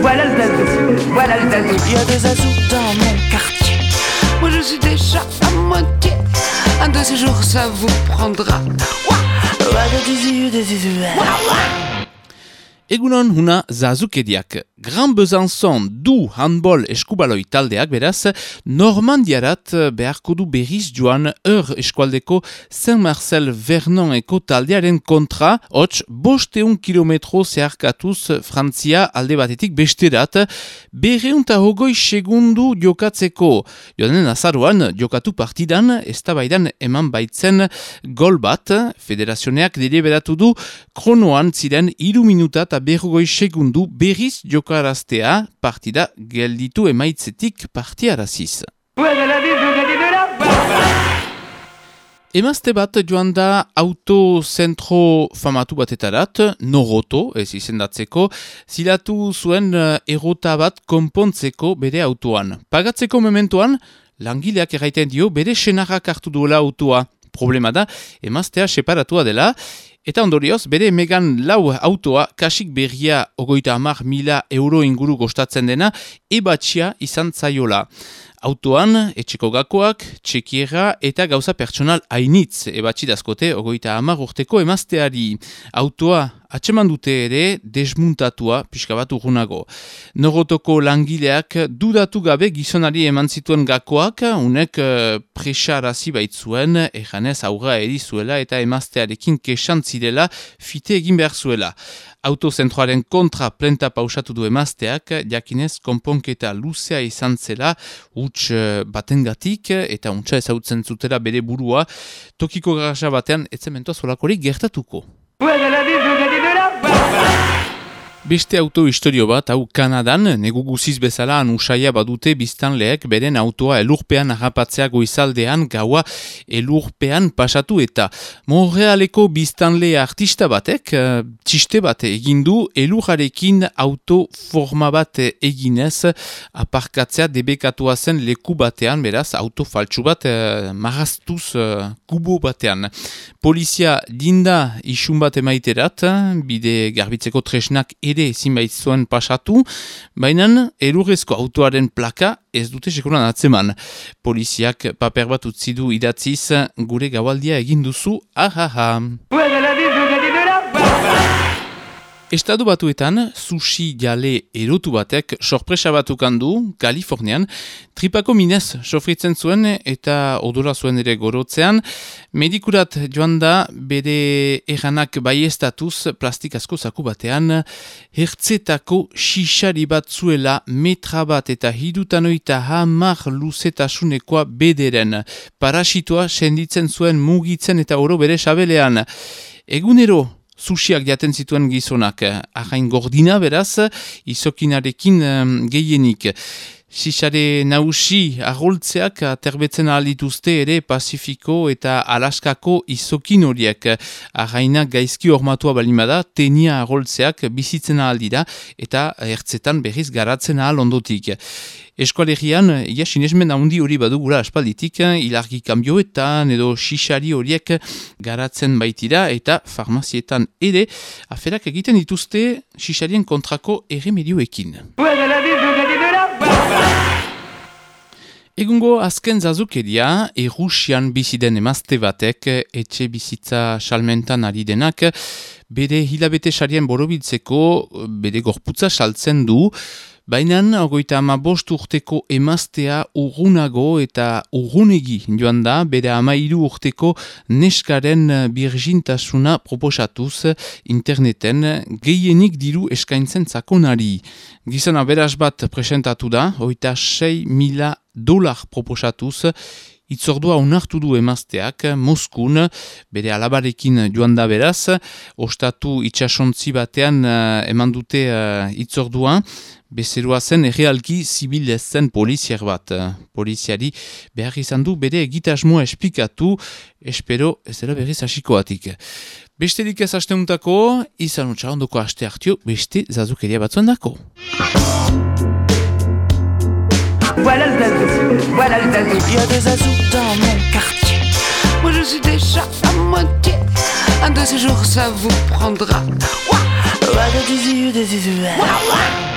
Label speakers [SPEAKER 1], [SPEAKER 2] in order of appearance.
[SPEAKER 1] voilà le zazou, voilà le zazou.
[SPEAKER 2] Il y a des zazous dans mon quartier. Moi je suis déjà à moitié. Un de ces jours ça vous prendra.
[SPEAKER 3] Egunon huna zazukediak. Gran Besançon du handball eskubaloi taldeak beraz, Normandiarat beharko du berriz joan eskualdeko Saint-Marcel-Vernoneko taldearen kontra, hots 500 kilometro zeharkatuz Frantzia alde batetik besterat, 220 segundu jokatzeko. Joanen azaruan jokatu partidan, eztabaidan eman baitzen gol bat, federazioneak deliberatu du, kronoan ziren 3 minuta eta 20 segundu berriz jokaraztea, partida gelditu emaitzetik partiaraziz. Emazte bat joan da autozentro famatu batetarat, Noroto, ez izendatzeko, zilatu zuen errota bat konpontzeko bere autoan. Pagatzeko mementoan, langileak erraiten dio bere senarrak hartu duela autoa. Problema da, emaztea separatua dela, eta ondorioz, bere Megan lau autoa kasik berria 30.000 euro inguru kostatzen dena, ebatxia izan zaiola. Autoan, etxeko gakoak, txekiera eta gauza pertsonal hainitz ebatxi dazkote 30 urteko emazteari. Autoa atseman dute ere desmuntatua pixka bat urrunago. Norotoko langileak dudatu gabe gizonari eman zituen gakoak, unek presarazi baitzuen, ejanez aurra erizuela eta emaztearekin kesantzirela fite egin behar zuela. Autozentroaren kontra plenta pausatu du emazteak, jakinez konponketa luzea izan zela, huts batengatik eta untsa ezautzen zutela bere burua, tokiko garaja batean etzementoa zolakorik gertatuko. Beste auto historio bat, hau Kanadan, negu guziz bezala anusaia badute biztanleek beren autoa elurpean harrapatzea goizaldean gaua elurpean pasatu eta Montrealeko biztanle artista batek, txiste bat egindu elurrarekin auto forma bat eginez aparkatzea debekatua zen leku batean, beraz, auto faltsu bat marraztuz kubo batean. Polizia dinda isun bat emaiterat, bide garbitzeko tresnak ere ezin baitzuen pasatu, baina elurrezko autoaren plaka ez dute sekuran atzeman. Poliziak paper bat utzi du idatziz, gure gaualdia egin duzu, ahaha. Estatu batuetan, sushi jale erotu batek sorpresa batukan du, Kalifornian, tripako minez sofritzen zuen eta odora zuen ere gorotzean, medikurat joan da bere erranak baiestatuz plastikazko zaku batean, hertzetako xixari bat zuela metra bat eta 70 luzetasunekoa bederen, parasitoa senditzen zuen mugitzen eta oro bere sabelean. Egunero, sushiak jaten zituen gizonak, ahain gordina beraz, izokinarekin gehienik. Xixare nausi arroltzeak aterbetzen ahalituzte ere Pasifiko eta Alaskako izokin horiek. Ahainak gaizki hormatua balimada, tenia arroltzeak bizitzen ahaldira eta ertzetan berriz garatzen ahal ondotik. Eskualerian, ia sinesmen handi hori badugula aspalditik, ilargi kanbioetan edo xixari horiek garatzen baitira eta farmazietan ere aferak egiten dituzte xixarien kontrako erremedioekin. Egungo azken zazukeria, Errusian biziden emazte batek, etxe bizitza salmentan ari denak, bere hilabete sarien borobiltzeko, bere gorputza saltzen du, baina 35 urteko emaztea urrunago eta urrunegi joan da, bere 13 urteko neskaren birjintasuna proposatuz interneten gehienik diru eskaintzen zakonari. Gizona beraz bat presentatu da, $26,000 proposatuz, itzordua onartu du emazteak, Moskun, bere alabarekin joan da beraz, ostatu itxasontzi batean eman dute itzordua, bezerua zen errealki zibil ez zen poliziar bat. Poliziari behar izan du bere egitasmoa esplikatu, espero ez dela berriz hasikoatik. Besterik ez asteuntako, izan utxa ondoko aste hartio, beste zazukeria batzuen dako.
[SPEAKER 1] Voilà le zazou, voilà le zazou.
[SPEAKER 2] Il y a des zazous dans mon quartier. Moi je suis déjà à moitié. Un de ces jours ça vous prendra. Ouah, ouah, ouah.